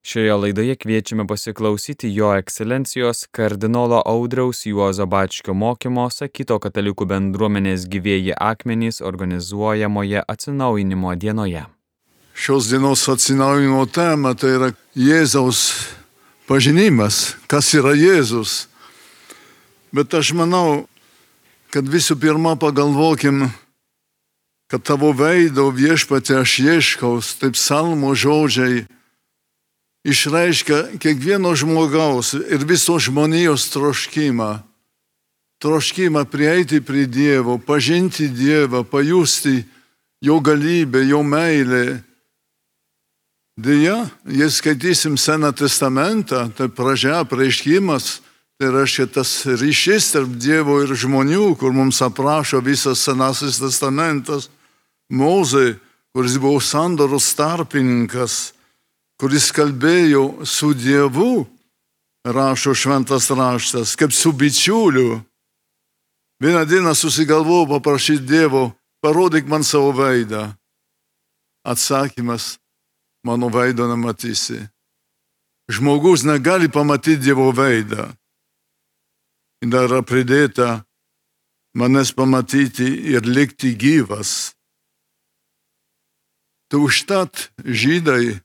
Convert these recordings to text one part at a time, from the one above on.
Šioje laidoje kviečiame pasiklausyti Jo ekscelencijos kardinolo Audriaus Juozo Bačkio mokymo sakyto katalikų bendruomenės Gyvieji akmenys organizuojamoje atsinaujinimo dienoje. Šios dienos atsinaujinimo tema tai yra Jėzaus pažinimas, kas yra Jėzus. Bet aš manau, kad visų pirma pagalvokim, kad tavo veido Viešpatie aš ieškau, taip psalmo žodžiai išreiškia kiekvieno žmogaus ir visos žmonijos troškimą. Troškimą prieiti prie Dievo, pažinti Dievą, pajusti Jo galybę, Jo meilę. Deja, jei skaitysim Seną testamentą, tai pradžia apreiškimas, tai reiškia tas ryšys tarp Dievo ir žmonių, kur mums aprašo visas Senasis testamentas. Mozė, kuris buvo sandoros tarpininkas, kuris kalbėjo su Dievu, rašo šventas raštas, kaip su bičiuliu. Vieną dieną susigalvojo paprašyti Dievo, parodyk man savo veidą. Atsakymas, mano veido nematysi. Žmogus negali pamatyti Dievo veidą. Ir dar yra pridėta, manęs pamatyti ir likti gyvas. Tai užtat žydai,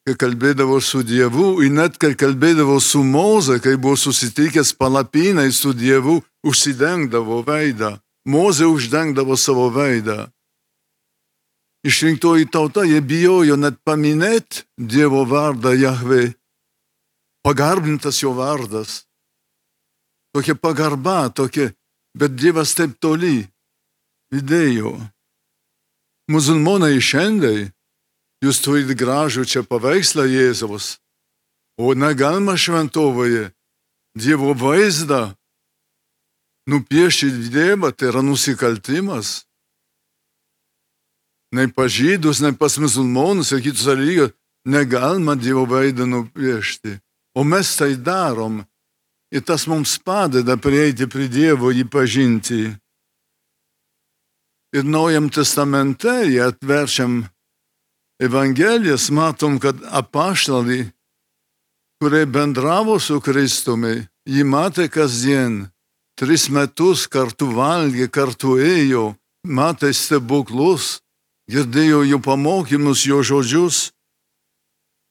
kai kalbėdavo su Dievu, ir net kai kalbėdavo su Moze, kai buvo susitikęs palapinai su Dievu, užsidengdavo veidą. Moze uždengdavo savo veidą. Išrinktoji tauta, jie bijojo net paminėti Dievo vardą Jahve. Pagarbintas jo vardas. Tokia pagarba, tokia, bet Dievas taip toli įdėjo. Musulmonai šiandien, jūs turite gražų čia paveikslą Jėzaus, o negalima šventovoje Dievo vaizdą nupiešti Dievą, tai yra nusikaltimas. Nei pas žydus, nei pas musulmonus ir kitus dalykus negalima Dievo veidą nupiešti. O mes tai darom ir tas mums padeda prieiti prie Dievo, jį pažinti. Ir Naujam testamente, jei atverčiam Evangelijas, matom, kad apaštalai, kurie bendravo su Kristumi, jį matė kasdien, 3 metus kartu valgė, kartu ėjo, matė stebuklus, girdėjo jo pamokymus, jo žodžius.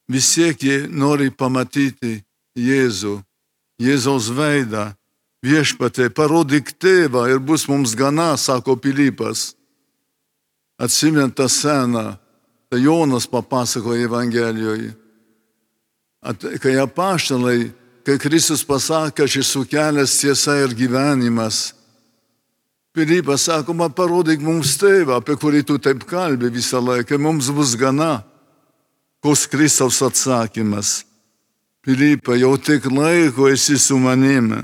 Vis tiek jie nori pamatyti Jėzų, Jėzaus veidą. Viešpatie, parodyk tėvą ir bus mums gana, sako Pilypas. Atsimint tą sceną, tai Jonas papasakoja Evangelijoje. Kai apaštalai, kai Kristus pasakė, aš esu kelias, tiesa ir gyvenimas. Pilypas sako, parodyk mums tėvą, apie kurį tu taip kalbi visą laiką, mums bus gana. Koks Kristaus atsakymas? Pilypai, jau tik laiko esi su manimi.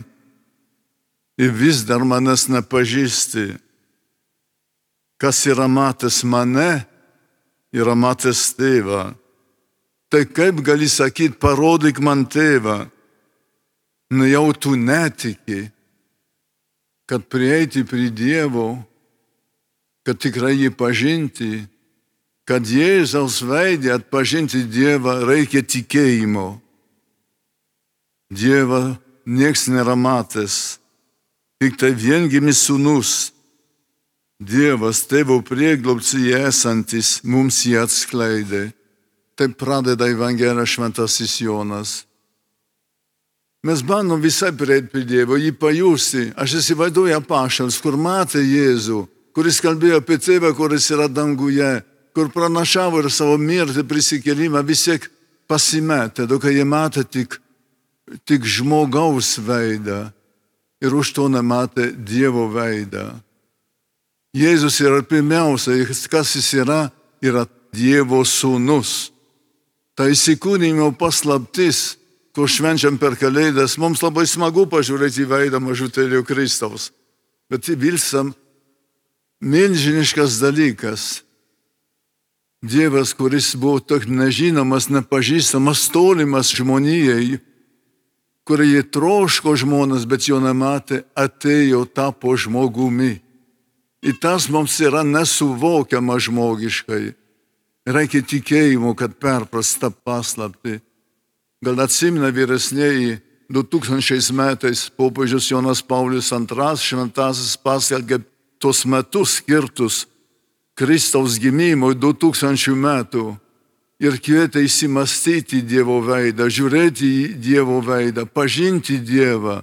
Ir vis dar manęs nepažįsti. Kas yra matęs mane, yra matęs tėvą. Tai kaip gali sakyti, parodyk man tėvą? Jau tu netiki, kad prieiti prie Dievo, kad tikrai jį pažinti, kad Jėzaus veide atpažinti Dievą reikia tikėjimo. Dievą nieks nėra matęs. Tik tai viengimis sūnus, Dievas tėvo prieglobstyje esantis, mums jį atskleidė. Taip pradeda Evangelija šventasis Jonas. Mes bandom visai prieiti prie Dievo, jį pajusti. Aš įsivaizduoju apaštalus, kur matė Jėzų, kuris kalbėjo apie tėvą, kuris yra danguje, kur pranašavo ir savo mirtį prisikėlimą, vis tiek pasimetė, kai jie matė tik žmogaus veidą. Ir už to nematė Dievo veidą. Jėzus yra pirmiausia, kas jis yra Dievo sūnus. Tai įsikūnijimo paslaptis, kur švenčiam per Kalėdas, mums labai smagu pažiūrėti į veidą mažutėlio Kristaus. Bet vilsam milžiniškas dalykas. Dievas, kuris buvo toks nežinomas, nepažįstamas, tolimas žmonijai, kurie troško žmonės, bet jo nematė, atėjo, tapo žmogumi. Ir tas mums yra nesuvokiama žmogiškai. Reikia tikėjimo, kad perprast tą paslaptį. Gal atsimena vyresnėji, 2000 metais popiežius Jonas Paulius II šventasis paskelbė tos metus skirtus Kristaus gimimui 2000 metų ir kvietė įsimastyti Dievo veidą, žiūrėti į Dievo veidą, pažinti Dievą,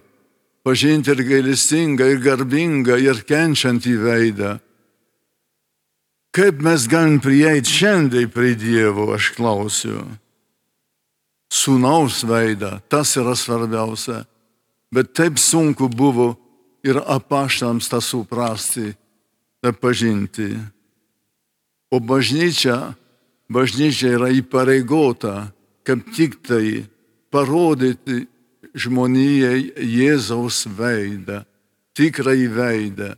pažinti ir gailestingą, ir garbingą, ir kenčiantį veidą. Kaip mes galim prieiti šiandien prie Dievo, aš klausiu. Sūnaus veidą, tas yra svarbiausia. Bet taip sunku buvo ir apaštalams tą suprasti, tą pažinti. O bažnyčia yra įpareigota, kaip tik tai parodyti žmonijai Jėzaus veidą, tikrąjį veidą,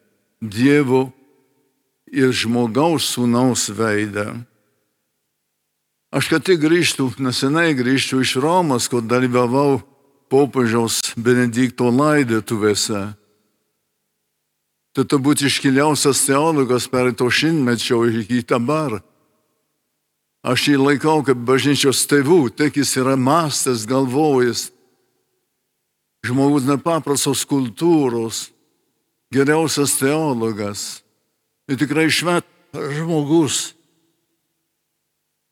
Dievo ir žmogaus sūnaus veidą. Aš ką tik nesenai grįžtu iš Romos, kur dalyvavau popiežiaus Benedikto laidotuvėse. Tai turbūt iškiliausias teologas pereito šimtmečio iki dabar. Aš jį laikau kaip bažnyčios tėvų, tiek jis yra mąstęs, galvojęs. Žmogus nepaprastos kultūros, geriausias teologas ir tikrai šventas žmogus.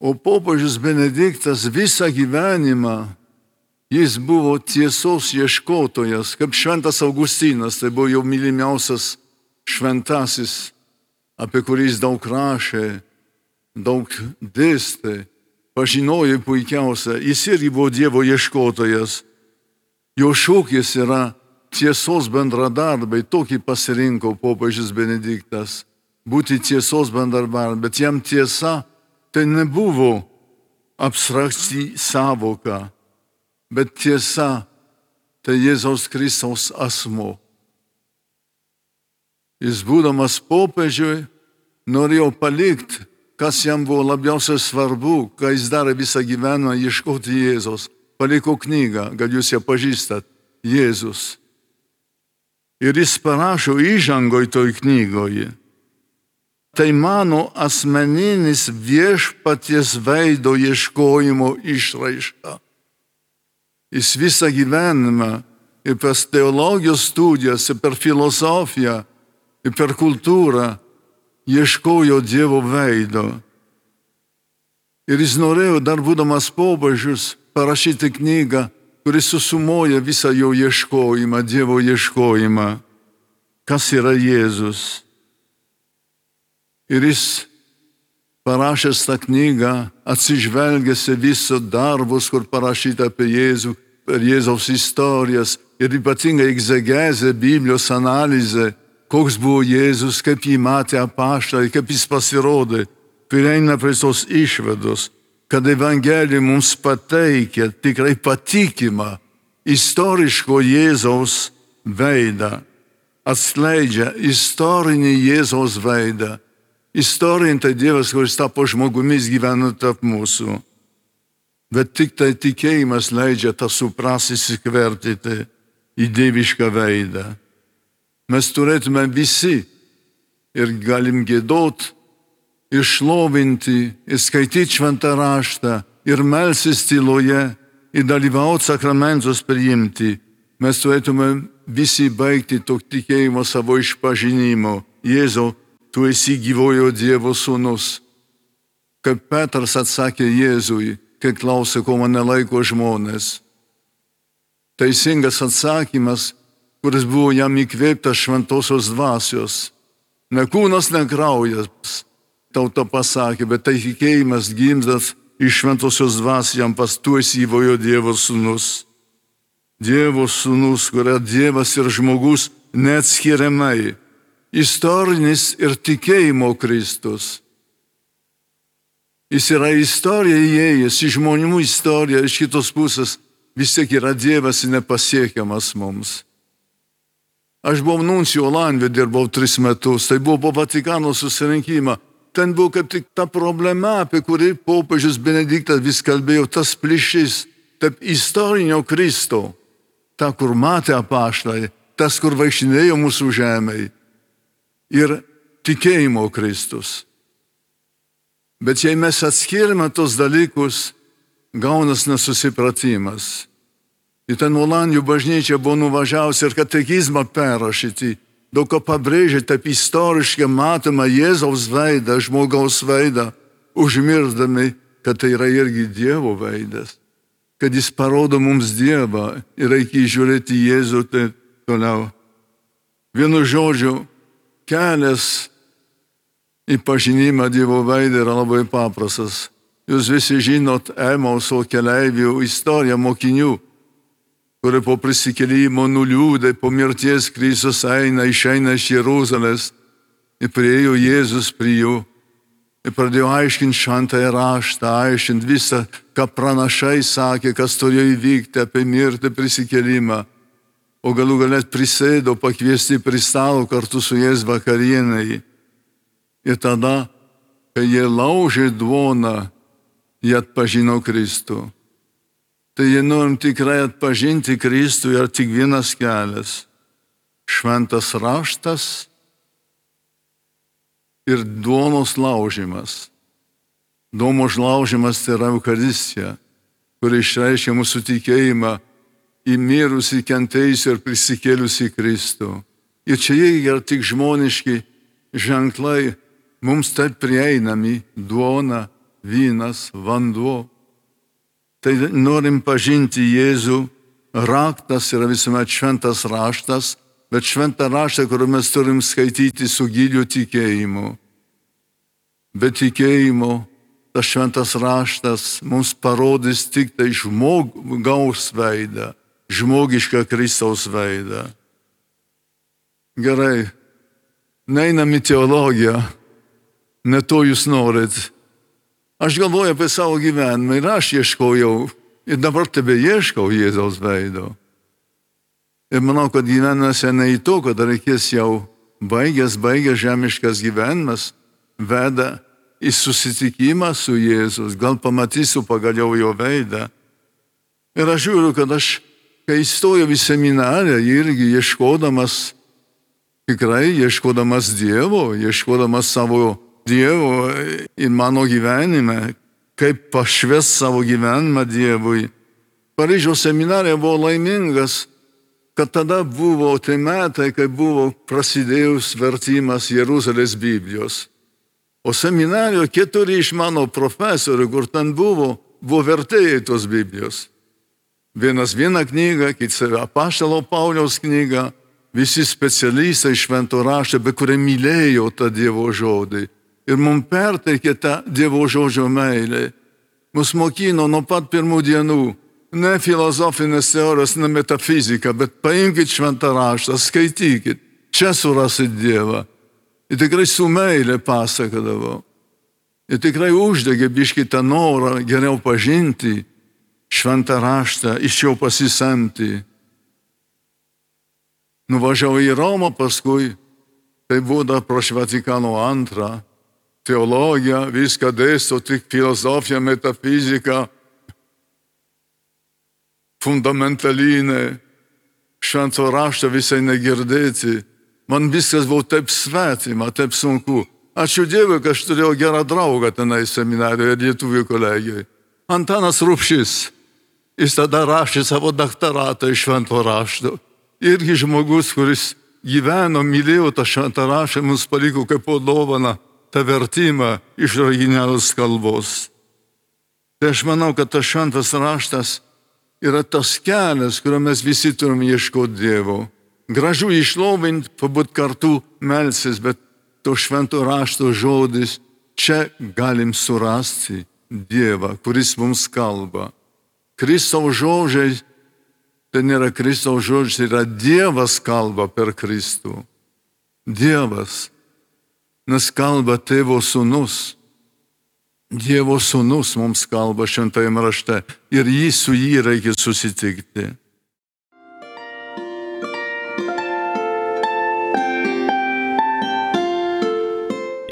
O popiežius Benediktas visą gyvenimą, jis buvo tiesos ieškotojas, kaip šventas Augustinas, tai buvo jau mylimiausias šventasis, apie kurį jis daug rašė, daug dėstė, pažinojo puikiausia, jis irgi buvo Dievo ieškotojas. Jo šūkis yra tiesos bendradarbiai, tokį pasirinko popiežius Benediktas, būti tiesos bendradarbiai, bet jam tiesa tai nebuvo abstrakti sąvoka, bet tiesa tai Jėzaus Kristaus asmuo. Jis būdamas popiežiui norėjo palikti, kas jam buvo labiausiai svarbu, ką jis darė visą gyvenimą ieškoti Jėzaus. Paliko knygą, gal jūs ją pažįstat, Jėzus. Ir jis parašo įžangoj toj knygoje. Tai mano asmeninis viešpaties veido ieškojimo išraiška. Jis visą gyvenimą ir per teologijos studijas, ir per filosofiją, ir per kultūrą ieškojo Dievo veido. Ir jis norėjo, dar būdamas popiežius, parašyti knygą, kuris susumuoja visą jo ieškojimą, Dievo ieškojimą. Kas yra Jėzus? Ir jis parašęs tą knygą, atsižvelgęs į visus darbus, kur parašyta apie Jėzų, per Jėzaus istorijas ir ypatingai egzegezė, Biblijos analizė, koks buvo Jėzus, kaip jį matė apaštalai, kaip jis pasirodė, prieina prie tos išvados, kad Evangelija mums pateikia tikrai patikimą istoriško Jėzaus veidą, atskleidžia istorinį Jėzaus veidą. Istorinė tai Dievas, kuris tapo žmogumis gyvena tarp mūsų. Bet tik tai tikėjimas leidžia tą suprasti, įsikvertyti į dievišką veidą. Mes turėtume visi ir galim giedot, ir šlovinti, ir skaityti šventą raštą, ir melsis tyloje, ir dalyvauti sakramentus priimti. Mes turėtume visi baigti to tikėjimo savo išpažinimo. Jėzau, tu esi gyvojo Dievo sūnus. Kaip Petras atsakė Jėzui, kai klausė, ko mane laiko žmonės. Teisingas atsakymas, kuris buvo jam įkvėptas šventosios dvasios. Ne kūnas, ne kraujas, tauta pasakė, bet tai tikėjimas gimdas iš šventosios dvasios jam pas tu esi gyvojo Dievo sūnus. Dievo sūnus, kuria Dievas ir žmogus neatskiriamai. Istorinis ir tikėjimo Kristus. Jis yra istorija įėjęs, į žmonių istoriją, iš kitos pusės vis tiek yra Dievas nepasiekiamas mums. Aš buvau nuncijų Olandijoje, dirbau 3 metus, tai buvo po Vatikano susirinkimą. Ten buvo kaip tik ta problema, apie kurį popiežius Benediktas vis kalbėjo, tas plyšys, tarp istorinio Kristo, ta, kur matė apaštalai, tas, kur vaikštinėjo mūsų žemėje. Ir tikėjimo Kristus. Bet jei mes atskirime tos dalykus, gaunas nesusipratimas. Į ten Olandijų bažnyčią buvo nuvažiavusi ir katekizmą perrašyti. Daug ką pabrėžia, taip istoriškai matoma Jėzaus veidą, žmogaus veidą, užmirdami, kad tai yra irgi Dievo veidas. Kad jis parodo mums Dievą ir reikia žiūrėti Jėzų tai toliau. Vienu žodžiu, kelias į pažinimą Dievo veidą yra labai paprastas. Jūs visi žinot Emauso keleivių istoriją mokinių, kurie po prisikėlimo nuliūdė, po mirties Kristus išeina iš Jeruzalės ir priėjo Jėzus prie jų ir pradėjo aiškinti šventąjį raštą, aiškinti visą, ką pranašai sakė, kas turėjo įvykti apie mirtį, prisikėlimą. O galų galet prisėdo pakviesti prie stalo kartu su jais vakarienai. Ir tada, kai jie laužė duoną, jie atpažino Kristų. Tai jei norim tikrai atpažinti Kristų, yra tik vienas kelias - šventas raštas ir duonos laužimas. Duonos laužimas tai yra Eucharistija, kuri išreiškia mūsų tikėjimą į mirusį, kentėjusį ir prisikėlusį Kristų. Ir čia jie yra tik žmoniški ženklai, mums taip prieinami - duona, vynas, vanduo. Tai norim pažinti Jėzų, raktas yra visuomet šventas raštas, bet šventą raštą, kurį mes turim skaityti su giliu tikėjimu. Be tikėjimo tas šventas raštas mums parodys tik tai žmogaus veidą, žmogišką Kristaus veidą. Gerai, neinam į teologiją, ne to jūs norit. Aš galvoju apie savo gyvenimą ir aš ieškojau ir dabar tebe ieškau Jėzaus veido. Ir manau, kad gyvenimas ne į to, kad reikės jau baigęs žemiškas gyvenimas, veda į susitikimą su Jėzus, gal pamatysiu pagaliau jo veidą. Ir aš žiūriu, kad aš, kai įstojau į seminariją, irgi ieškodamas Dievo, ieškodamas savo Dievo į mano gyvenime, kaip pašvęs savo gyvenimą Dievui. Paryžiaus seminarija buvo laimingas, kad tada buvo tai metai, kai buvo prasidėjus vertimas Jeruzalės Biblijos. O seminarijoje 4 iš mano profesorių, kur ten buvo vertėjai tos Biblijos. Vienas vieną knygą, kitas apaštalo Pauliaus knygą, visi specialistai švento rašto, be kurie mylėjo tą Dievo žodį. Ir mums perteikė tą Dievo žodžio meilę. Mus mokino nuo pat pirmų dienų. Ne filosofinės teorijos, ne metafizika, bet paimkite šventą raštą, skaitykite. Čia surasit Dievą. Ir tikrai su meilė pasakodavo. Ir tikrai uždegė biškį tą norą geriau pažinti šventą raštą, iš jo pasisemti. Nuvažiavau į Romą paskui, tai buvo dar prieš Vatikano II. Teologija, viską dėsto, tik filosofija, metafizika, fundamentalinė, švento rašto visai negirdėti. Man viskas buvo taip svetima, taip sunku. Ačiū Dievui, kad aš turėjau gerą draugą tenai seminarijoje, lietuvių kolegijai. Antanas Rupšys. Jis tada rašė savo daktaratą iš švento rašto. Irgi žmogus, kuris gyveno, mylėjo tą šventą raštą, mums paliko kaip po dovaną tą vertimą iš originalios kalbos. Tai aš manau, kad tas šventas raštas yra tas kelias, kurio mes visi turim ieškoti Dievo. Gražu išlovinti, pabūt kartu melsis, bet to švento rašto žodis, čia galim surasti Dievą, kuris mums kalba. Kristaus žodžiai, tai nėra Kristaus žodžiai, tai yra Dievas kalba per Kristų. Dievas. Nes kalba Tėvo sūnus. Dievo sūnus mums kalba šventajame rašte ir su jį reikia susitikti.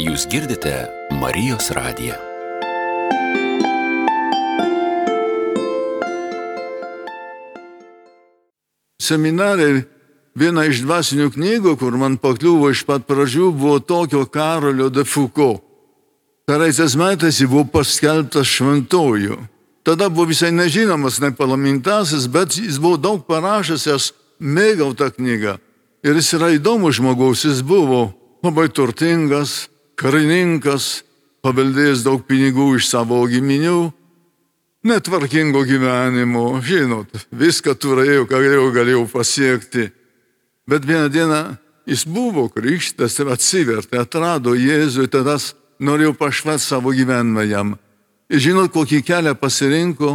Jūs girdite Marijos radiją. Seminarai, viena iš dvasinių knygų, kur man pakliuvo iš pat pradžių, buvo tokio Karolio de Foucault. Pereitais metais jis buvo paskelbtas šventoju. Tada buvo visai nežinomas, nepalaimintasis, bet jis buvo daug parašęs, aš mėgau tą knygą. Ir jis yra įdomus žmogaus, jis buvo labai turtingas, karininkas, paveldėjęs daug pinigų iš savo giminių, netvarkingo gyvenimo, žinot, viską turėjau, ką galėjau pasiekti. Bet vieną dieną jis buvo krikštas ir atsivertė, atrado Jėzų ir tada norėjau pašvęsti savo gyvenimą jam. Ir žinot, kokį kelią pasirinko?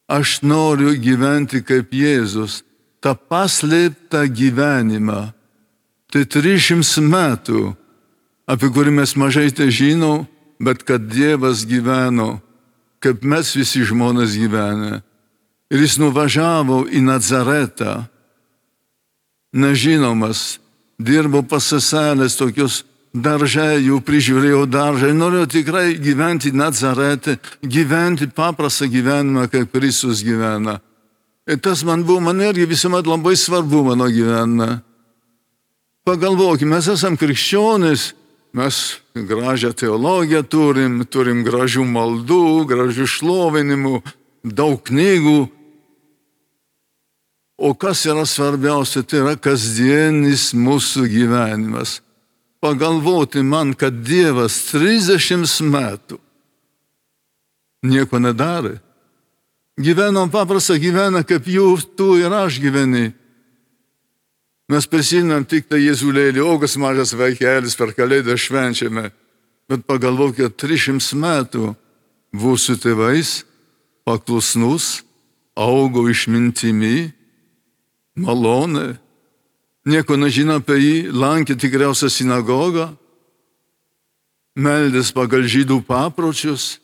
Aš noriu gyventi kaip Jėzus, tą paslėptą gyvenimą. Tai 300 metų, apie kurį mes mažai tai žinom, bet kad Dievas gyveno, kaip mes visi žmonės gyvenę. Ir jis nuvažiavo į Nazaretą, nežinomas, dirbo pas seselės tokius daržai, jų prižiūrėjo daržai, norėjo tikrai gyventi Nazarete, gyventi paprastą gyvenimą, kaip Kristus gyvena. Ir tas man irgi visuomet labai svarbu mano gyvenime. Pagalvokime, mes esam krikščionys, mes gražią teologiją turim gražių maldų, gražių šlovinimų, daug knygų. O kas yra svarbiausia, tai yra kasdienis mūsų gyvenimas. Pagalvoti man, kad Dievas 30 metų nieko nedarė. Gyvenom paprastą gyveną, kaip tu ir aš gyveni. Mes prisiminam tik tai Jėzulėlį, ogas mažas vaikelis per Kalėdą švenčiame. Bet pagalvokite, 300 metų buvo su tėvais, paklusnus, augo išmintimi, malonė. Nieko nežino apie jį, lankė tikriausią sinagogą, meldės pagal žydų papročius,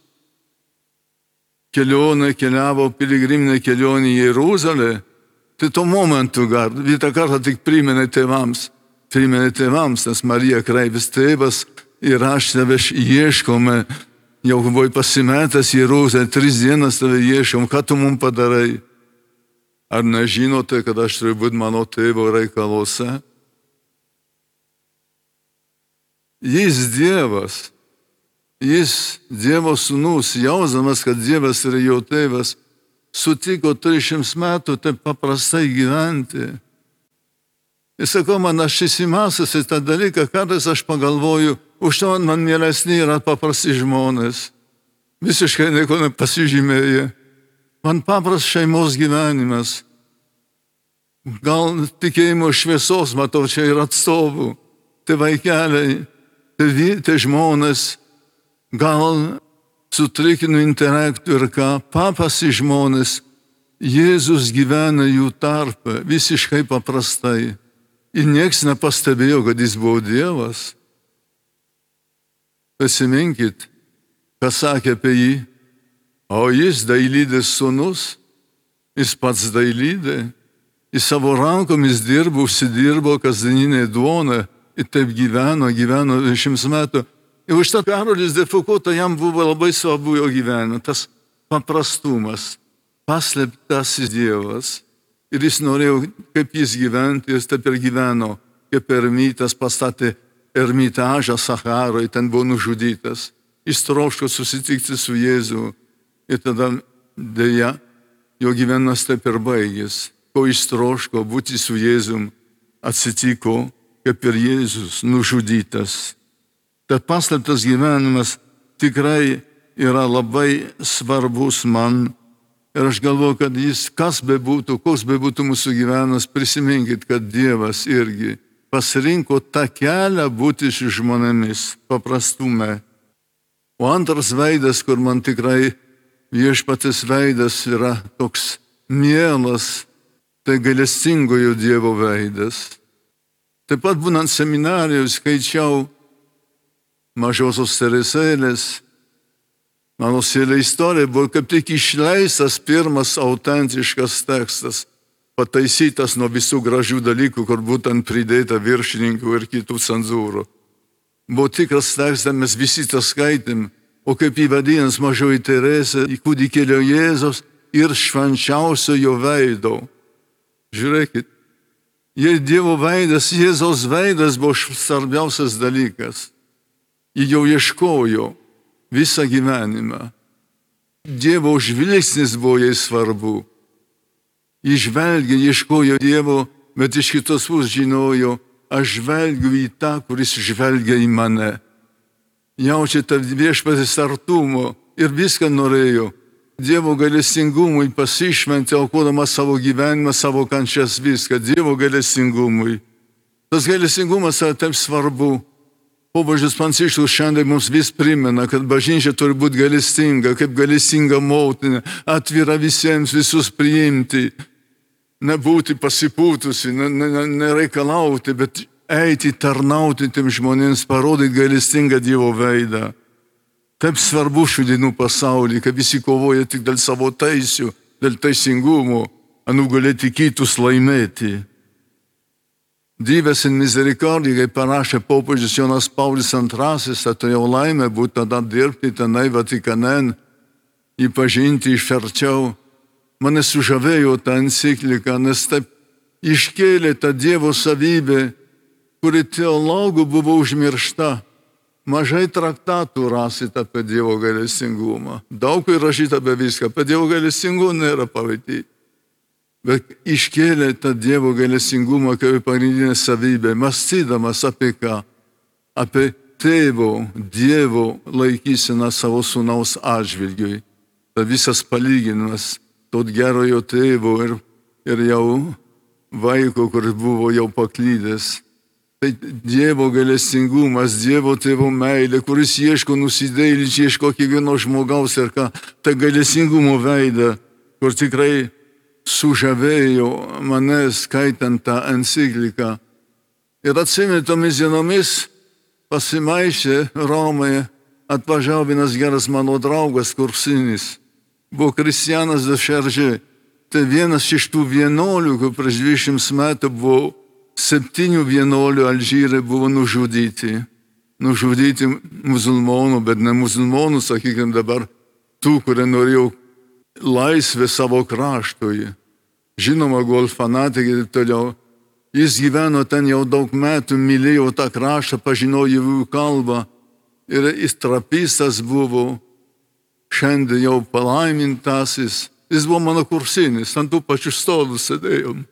keliavo piligriminę kelionę į Jeruzalę. Tai tuo momentu vieną kartą tik priminė tėvams, nes Marija kreipės tėvas ir aš tave ieškome, jau buvai pasimetęs Jeruzalę, 3 dienas tave ieškom, ką tu mums padarai? Ar nežinote, kad aš turiu būti mano tėvo reikaluose? Jis Dievas, jis Dievo sūnus, jausdamas, kad Dievas yra jo tėvas, sutiko 300 metų taip paprastai gyventi. Jis sako, man aš įsimąstęs į tą dalyką, kartais aš pagalvoju, už to man mielesni yra paprasti žmonės. Visiškai nieko nepasižymėję. Man papras šeimos gyvenimas. Gal tikėjimo šviesos, matau, čia ir atstovų. Tai vaikeliai, tai žmonės, gal sutrikinu intelektų ir ką, paprasti žmonės, Jėzus gyvena jų tarpe, visiškai paprastai. Ir nieks nepastebėjo, kad jis buvo Dievas. Pasiminkit, kas sakė apie jį. O jis dailydės sūnus, jis pats dailydė, jis savo rankomis dirbo, užsidirbo kasdieninę duoną ir taip gyveno 20 metų. Ir už tą Karolis de Foucault jam buvo labai svarbu jo gyvenime, tas paprastumas, paslėptasis Dievas. Ir jis norėjo, kaip jis gyventi, jis taip ir gyveno, kaip ermitas pastatė ermitažą Saharoje, ten buvo nužudytas. Jis troško susitikti su Jėzu. Ir tada dėja, jo gyvenimas taip ir baigės. Ko jis troško būti su Jėzum, atsitiko, kaip ir Jėzus nužudytas. Tad paslėptas gyvenimas tikrai yra labai svarbus man. Ir aš galvoju, kad jis, kas bebūtų, koks bebūtų mūsų gyvenimas, prisiminkit, kad Dievas irgi pasirinko tą kelią būti su žmonėmis, paprastume. O antras veidas, kur man tikrai viešpaties veidas yra toks mielas, tai gailestingojo Dievo veidas. Taip pat būnant seminarijoje skaičiau Mažosios Teresėlės. Mano sielė istorija buvo kaip tik išleistas pirmas autentiškas tekstas, pataisytas nuo visų gražių dalykų, kur būtent pridėta viršininkų ir kitų cenzūrų. Buvo tikras tekstas, mes visi tą skaitėm. O kaip jį vadinasi Mažoji Teresė, kūdikėlio Jėzaus ir švenčiausiojo veido. Žiūrėkit, jei Dievo veidas, Jėzaus veidas buvo svarbiausias dalykas. Ji jau ieškojo visą gyvenimą. Dievo žvilgsnis buvo jai svarbu. Ji žvelgė, ieškojo Dievo, bet iš kitos pusės žinojo, aš žvelgiu į tą, kuris žvelgia į mane. Jaučia tą viešpaties artumo ir viską norėjo. Dievo gailestingumui pasišventė, aukodama savo gyvenimą, savo kančias, viską. Dievo gailestingumui. Tas gailestingumas yra taip svarbu. Popiežius Pranciškus šiandien mums vis primena, kad bažnyčia turi būti gailestinga, kaip gailestinga motina, atvira visiems, visus priimti, nebūti pasipūtusi, nereikalauti, bet eiti, tarnauti tiems žmonėms, parodyti gailestingą Dievo veidą. Taip svarbu šių dienų pasaulyje, kad visi kovoja tik dėl savo teisių, dėl teisingumo, a nugalėti kitus laimėti. Dievas in misericordija, kaip parašė popiežius Jonas Paulius II, turėjau laimę būti tada dirbti tenai Vatikane, jį pažinti iš arčiau. Mane sužavėjo ta enciklika, nes taip iškėlė tą Dievo savybę, kuri teologų buvo užmiršta. Mažai traktatų rasit apie Dievo gailestingumą. Daug įrašyta apie viską, apie Dievo gailestingumą nėra pavadyti. Bet iškėlė tą Dievo gailestingumą kaip pagrindinę savybę, mąstydamas apie ką? Apie tėvo, Dievo laikyseną savo sūnaus atžvilgiui. Tai visas palyginimas to gerojo tėvo ir jau vaiko, kuris buvo jau paklydęs. Tai Dievo gailestingumas, Dievo tėvo meilė, kuris ieško nusidėjėlių, ieško kiekvieno žmogaus ir ką, ta gailestingumo veidą, kur tikrai sužavėjo mane skaitant tą encikliką. Ir atsimenu tomis dienomis pasimaišė Romoje, atvažiavo vienas geras mano draugas kursinis, buvo Kristianas de Šeržė. Tai vienas iš tų vienuolių, kur prieš 20 metų buvo 7 vienuolių Alžyre buvo nužudyti. Nužudyti musulmonų, bet ne musulmonų, sakykime dabar, tų, kurie norėjo laisvę savo kraštui. Žinoma, gol fanatikai ir toliau. Jis gyveno ten jau daug metų, mylėjo tą kraštą, pažinojo jų kalbą ir jis trapistas buvo, šiandien jau palaimintasis. Jis buvo mano kursinis, ant tų pačių stolų sėdėjom.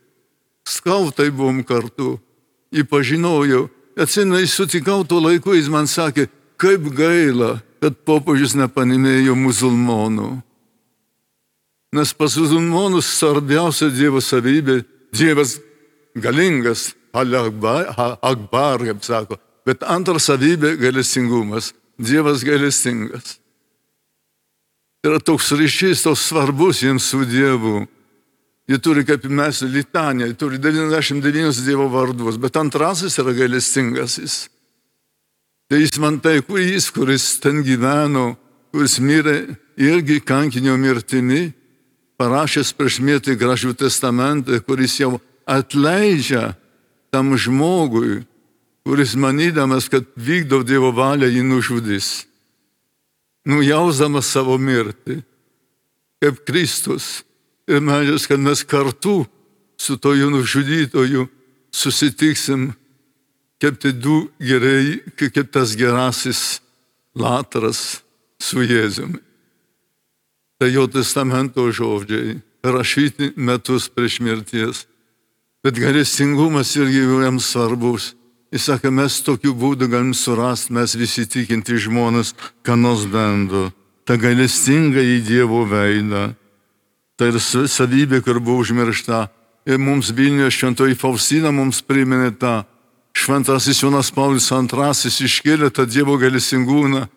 Skautai buvom kartu, jį pažinojau. Atsimenu, jis sutikau tuo laiku, jis man sakė, kaip gaila, kad popiežius nepaminėjo musulmonų. Nes pas musulmonus svarbiausia Dievo savybė, Dievas galingas, Akbar, kaip sako, bet antra savybė gailestingumas, Dievas gailestingas. Yra toks ryšys, toks svarbus jiems su Dievu. Jie turi, kaip mes, litaniją, jie turi 99 Dievo vardus, bet antrasis yra gailestingasis. Tai jis man tai, kuris ten gyveno, kuris mirė irgi kankinio mirtimi, parašęs prieš mirtį Gražių testamentą, kuris jau atleidžia tam žmogui, kuris manydamas, kad vykdo Dievo valią, jį nužudys. Nujausdamas savo mirtį, kaip Kristus. Ir meldžias, kad mes kartu su toju nužudytoju susitiksim, kaip tai du gerai, kaip tas gerasis Lazarus su Jėzumi. Tai jo testamento žodžiai, rašyti metus prieš mirties. Bet gailestingumas irgi jiems svarbus. Jis sakė, mes tokiu būdu galim surasti, mes visi tikinti žmonės, ką nors bendro. Ta gailestinga į Dievo veidą. Tai ir savybė, kur buvo užmiršta. Ir mums Vilniuje šventoji Faustina mums priminė tą. Šventasis Jonas Paulius II iškėlė tą Dievo gailestingumą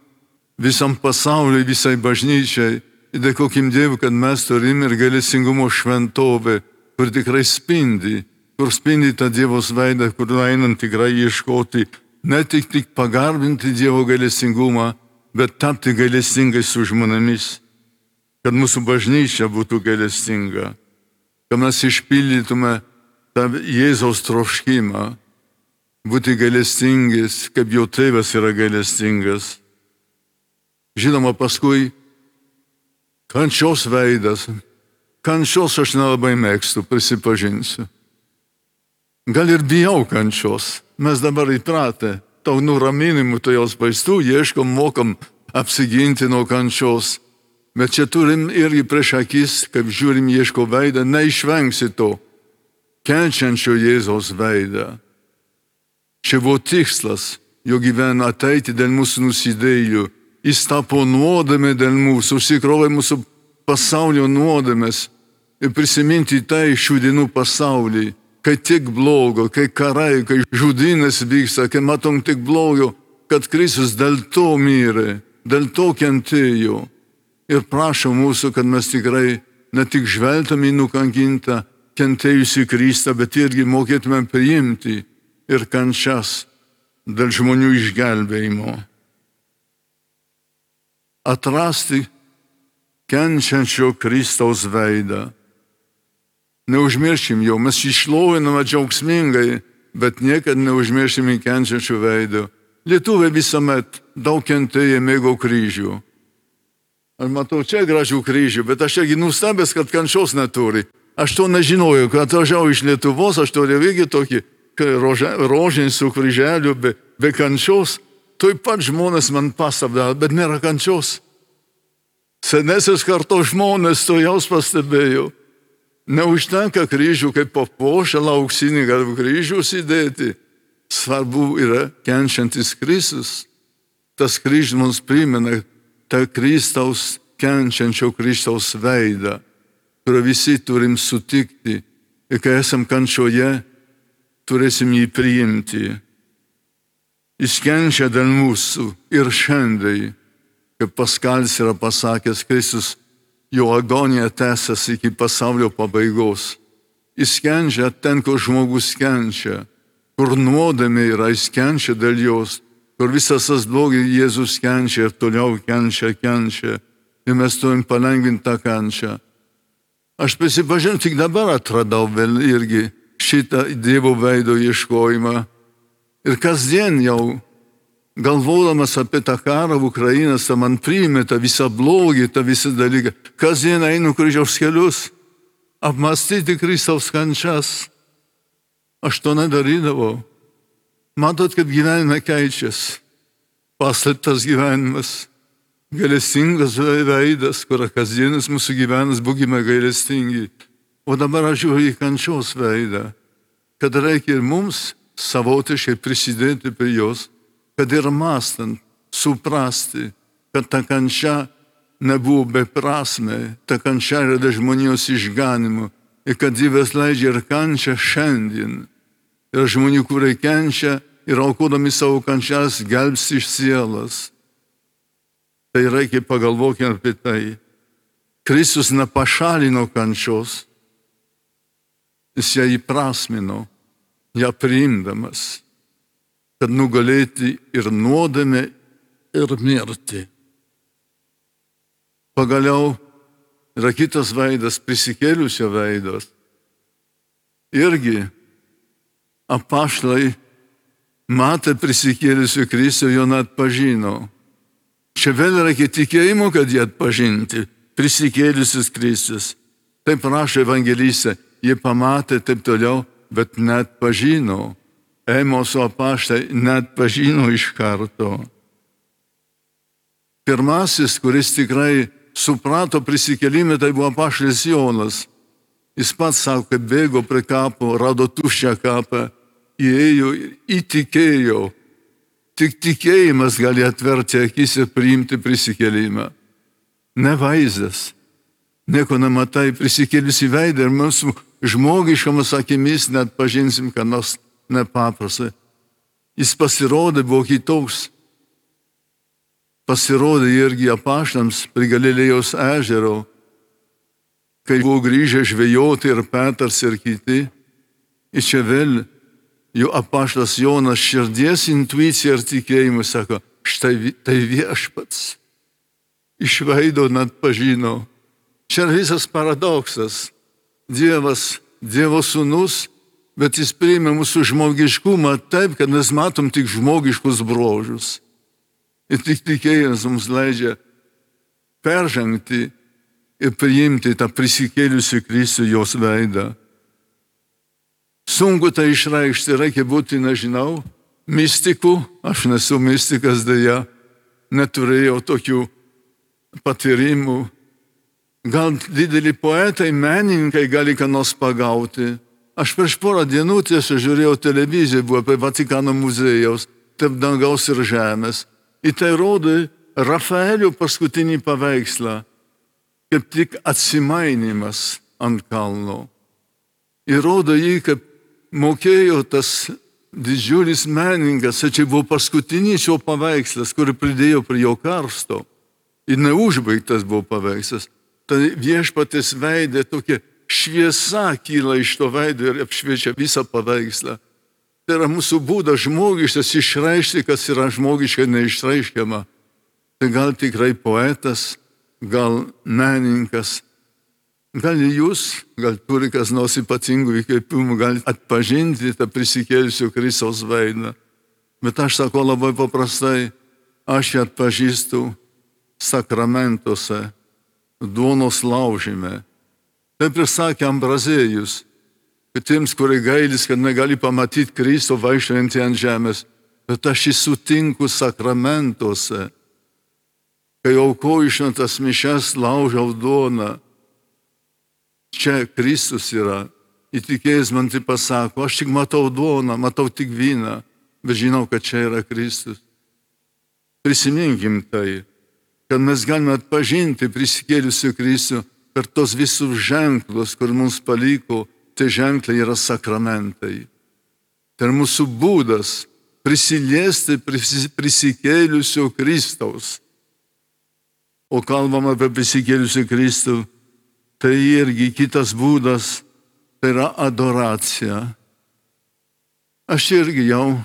visam pasauliui, visai bažnyčiai. Ir dėkokim Dievui, kad mes turim ir gailestingumo šventovę, kur tikrai spindi, kur spindi tą Dievos veidą, kur einant tikrai ieškoti, ne tik pagarbinti Dievo gailestingumą, bet tapti gailestingai su žmonėmis. Kad mūsų bažnyčia būtų gailestinga, kad mes išpildytume tą Jėzaus troškimą, būti gailestingais, kaip jo tėvas yra gailestingas. Žinoma, paskui kančios veidas. Kančios aš nelabai mėgstu, prisipažinsiu. Gal ir bijau kančios. Mes dabar įpratę. to nuraminimų, to jos vaistų, ieškom, mokam apsiginti nuo kančios. Bet čia turim irgi prieš akis, kaip žiūrim ieško veidą, neišvengsi to kenčiančio Jėzaus veidą. Čia buvo tikslas, jo gyvenime ateiti dėl mūsų nusidėjų. Jis tapo nuodėmė dėl mūsų, užsikrovė mūsų pasaulio nuodėmės ir prisiminti tai šių dienų pasaulį, kai tik blogo, kai karai, kai žudynės vyksta, kai matom tik blogo, kad Kristus dėl to mirė, dėl to kentėjo. Ir prašo mūsų, kad mes tikrai ne tik žvelgtume į nukankintą, kentėjusį Kristą, bet irgi mokėtume priimti ir kančias dėl žmonių išgelbėjimo. Atrasti kenčiančio Kristaus veidą. Neužmiršim jo, mes jį šloviname džiaugsmingai, bet niekad neužmiršim į kenčiančio veidą. Lietuviai visuomet daug kentėję mėgo kryžių. Aš matau čia gražių kryžių, bet aš irgi nustebęs, kad kančios neturi. Aš to nežinojau, kad atvažiavau iš Lietuvos, aš turėjau irgi tokį rožinį su kryželiu, be kančios. Tuoj pat žmonės man pastabdavo, bet nėra kančios. Senesės kartos žmonės to jau pastebėjo. Neužtenka kryžių kaip papuošalą auksinį galų kryžių įdėti. Svarbu yra kenčiantis Kristus. Tas kryžius mums primena tą Kristaus, kenčiančio Kristaus veidą, kurio visi turim sutikti. Ir kai esam kančioje, turėsim jį priimti. Jis kenčia dėl mūsų ir šiandien, kaip Paskalis yra pasakęs, Kristus, jo agonija tęsiasi iki pasaulio pabaigos. Jis kenčia ten, kur žmogus kenčia, kur nuodėmė yra, jis kenčia dėl jos, kur visas tas blogis Jėzus kenčia ir toliau kenčia. Ir mes turim palengvinti tą kančią. Aš prisipažinau, tik dabar atradau vėl irgi šitą Dievo veido ieškojimą. Ir kasdien jau, galvodamas apie tą karą Ukrainą, man priėmė tą visą blogį, tą visą dalyką. Kasdien einu kryžiaus kelius, apmąstyti Kristaus kančias. Aš to nedarydavau. Matot, kaip gyvenime keičiasi. Paslėptas gyvenimas, gailestingas veidas, kur kasdienis mūsų gyvenimas, būkime gailestingi. O dabar aš žiūriu į kančios veidą, kad reikia ir mums savotiškai prisidėti prie jos, kad ir mąstant, suprasti, kad ta kančia nebuvo beprasmė, ta kančia yra dėl žmonijos išganimo ir kad Dievas leidžia ir kančią šiandien. Ir žmonių, kurie kenčia ir aukodami savo kančias, gelbsti iš sielas. Tai reikia pagalvokime apie tai. Kristus nepašalino kančios, jis ją įprasmino, ją priimdamas, kad nugalėti ir nuodėmę, ir mirtį. Pagaliau yra kitas veidas, prisikėlusio veidas. Irgi apaštalai matė prisikėlusio Kristų, jo neatpažino. Čia vėl reikia tikėjimo, kad jį atpažinti. Prisikėlusis Kristus. Taip rašo evangelistė, jie pamatė taip toliau, bet neatpažino. Emoso apaštalai neatpažino iš karto. Pirmasis, kuris tikrai suprato prisikėlimą, tai buvo apaštalis Jonas. Jis pats sako, kad bėgo prie kapo, rado tuščią kapą, įėjo ir įtikėjo. Tik tikėjimas gali atverti akis ir priimti prisikėlimą. Ne vaizdas. Nieko nematai, prisikėlusi veidą ir mūsų žmogiškomis akimis net pažinsim, kad nors nepaprastai. Jis pasirodė, buvo kitoks. Pasirodė irgi apaštalams prie Galilėjos ežero, kai buvo grįžę žvejoti ir Petras ir kiti. Ir čia vėl jų apaštalas Jonas širdies intuicija ir tikėjimu sako, štai tai viešpats. Iš veido net pažino. Čia visas paradoksas. Dievas, Dievo sūnus, bet jis priėmė mūsų žmogiškumą taip, kad mes matom tik žmogiškus bruožus. Ir tik tikėjimas mums leidžia peržengti ir priimti tą prisikėlusių Kristų jos veidą. Sunku tai išreikšti, reikia būti, nežinau, mistikų, aš nesu mistikas dėja, neturėjau tokių patyrimų. Gal dideli poetai, menininkai gali ką nors pagauti. Aš prieš porą dienų tiesiog žiūrėjau televiziją, buvo apie Vatikano muziejaus, tarp dangaus ir žemės. Į tai rodė Rafaelio paskutinį paveikslą, kaip tik atsimainimas ant kalno. Ir rodo jį, kaip mokėjo tas didžiulis menininkas, čia buvo paskutinis jo paveikslas, kurį pridėjo prie jo karsto. Ir neužbaigtas buvo paveikslas. Tai viešpaties veidė tokia šviesa kyla iš to veido ir apšviečia visą paveikslą. Tai yra mūsų būdas žmogiškas išreikšti, kas yra žmogiškai neišreiškiama. Tai gal tikrai poetas, gal menininkas, gal jūs, gal turi kas nors ypatingų įkvėpimų, gal atpažinti tą prisikėlusio Kristaus veidą. Bet aš sakau labai paprastai, aš ją atpažįstu sakramentuose, duonos laužime. Taip ir sakė Ambrazėjus, kad tiems, kurie gailis, kad negali pamatyti Kristų vaikščiojantį ant žemės, bet aš jį sutinku sakramentuose. Kai aukoju šventas mišias, laužau duoną. Čia Kristus yra. Įtikėjęs man tai pasako, aš tik matau duoną, matau tik vyną, bet žinau, kad čia yra Kristus. Prisiminkim tai, kad mes galime atpažinti prisikėlusių Kristų per tos visus ženklus, kur mums paliko, tai ženklai yra sakramentai. Tai yra mūsų būdas prisiliesti prisikėlusio Kristaus. O kalbam apie prisikėlusį Kristų, tai irgi kitas būdas, tai yra adoracija. Aš irgi jau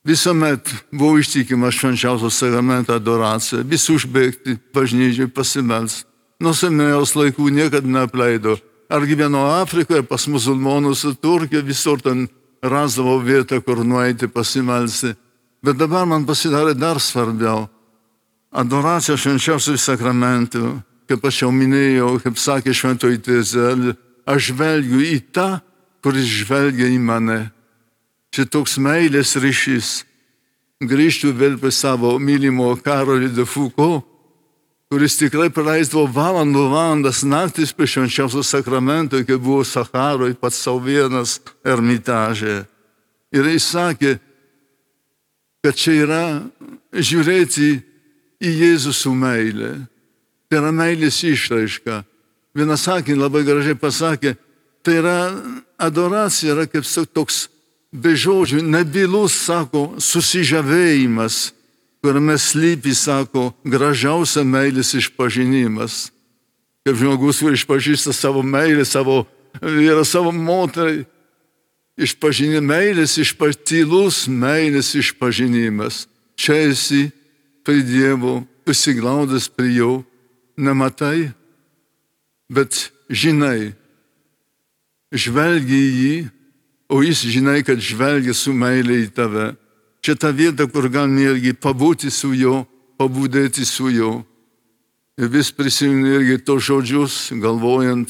visuomet buvau ištikimas švenčiausio sakramento adoraciją, vis užbėgti bažnyčiai pasimelst. Nuo seniausių laikų niekada neapleido. Ar gyveno Afrikoje, pas musulmonus, Turkijoje, visur ten rasdavo vietą, kur nueiti pasimelsti. Bet dabar man pasidarė dar svarbiau. Adoracija švenčiausių sakramentų, kaip aš jau minėjau, kaip sakė šventoji Tezelė, aš žvelgiu į tą, kuris žvelgia į mane. Čia toks meilės ryšys. Grįžtu vėl prie savo mylimo Karolio de Foucault, kuris tikrai praleisdavo valandas naktis prie švenčiausio sakramento, kai buvo Saharoj pats savo vienas ermitaže. Ir jis sakė, kad čia yra žiūrėti į Jėzų su meilė. Tai yra meilės išraiška. Vienas sakinį labai gražiai pasakė, tai yra adoracija, yra kaip toks be žodžių, nebylus, sako, susižavėjimas, kuriame slypi, sako, gražiausia meilės išpažinimas. Kaip žmogus, kuris išpažįsta savo meilę, savo vyrą, savo moterį, meilės tylus meilės išpažinimas. Čia esi prie Dievo, prisiglaudęs prie jo, nematai, bet žinai, žvelgi į jį, o jis žinai, kad žvelgia su meilė į tave. Čia ta vieta, kur galime irgi pabūti su juo, pabudėti su juo. Ir vis prisimenu irgi tos žodžius, galvojant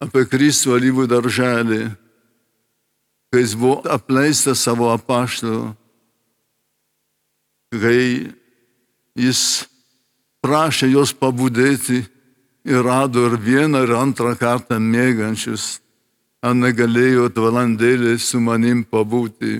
apie Kristų alyvų darželį, kai jis buvo apleistas savo apaštalų, kai jis prašė jos pabudėti ir rado ir vieną, ir antrą kartą mėgančius. Ar negalėjot valandėlį su manim pabūti.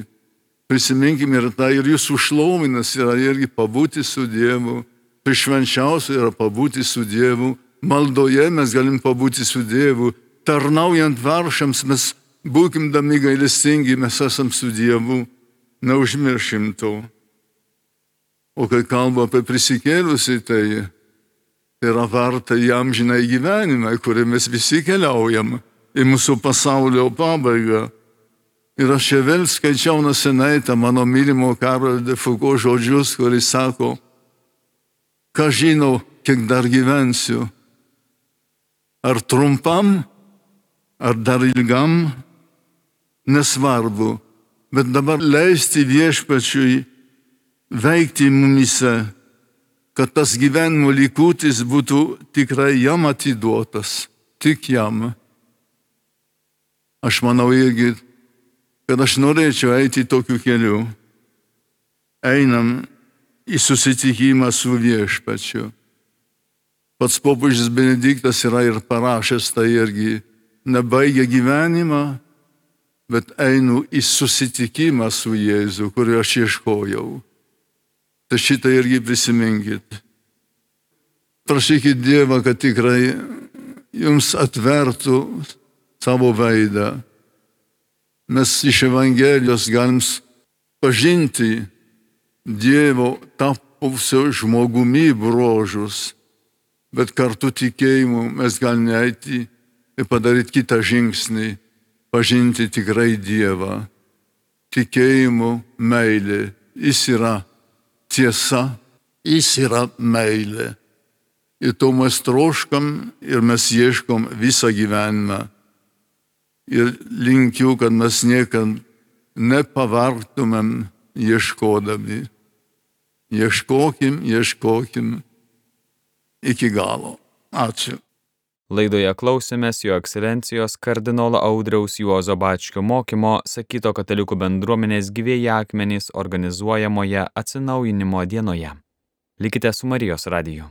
Prisiminkime ir tai, ir jūsų šlovinas yra irgi pabūti su Dievu. Prie švenčiausio yra pabūti su Dievu. Maldoje mes galim pabūti su Dievu. Tarnaujant vargšams mes būkim dami gailestingi, mes esam su Dievu. Neužmiršim to. O kai kalba apie prisikėlusį, tai yra varta į amžiną gyvenimą, kurį mes visi keliaujam. Į mūsų pasaulio pabaigą. Ir aš čia vėl skaičiau nesenai tą mano mylimo Karolio de Foucault žodžius, kuris sako, ką žinau, kiek dar gyvensiu. Ar trumpam, ar dar ilgam, nesvarbu, bet dabar leisti viešpačiui veikti mumise, kad tas gyvenimo likutis būtų tikrai jam atiduotas, tik jam. Aš manau irgi, kad aš norėčiau eiti tokiu keliu. Einam į susitikimą su Viešpačiu. Pats popiežius Benediktas yra ir parašęs tai irgi. Nebaigia gyvenimą, bet einu į susitikimą su Jėzu, kurio aš ieškojau. Tai šitą irgi prisiminkit. Prašykit Dievą, kad tikrai jums atvertų savo veidą. Mes iš Evangelijos galim pažinti Dievo tapusio žmogumi bruožus, bet kartu tikėjimu mes galime eiti ir padaryti kitą žingsnį, pažinti tikrai Dievą. Tikėjimu meilė. Jis yra tiesa, jis yra meilė. Ir to mes troškam ir mes ieškom visą gyvenimą. Ir linkiu, kad mes niekad nepavargtumėm ieškodami. Ieškokim iki galo. Ačiū. Laidoje klausėmės Jo Ekscelencijos kardinolo Audriaus Juozo Bačkio mokymo sakyto katalikų bendruomenės Gyvieji akmenys organizuojamoje atsinaujinimo dienoje. Likite su Marijos radiju.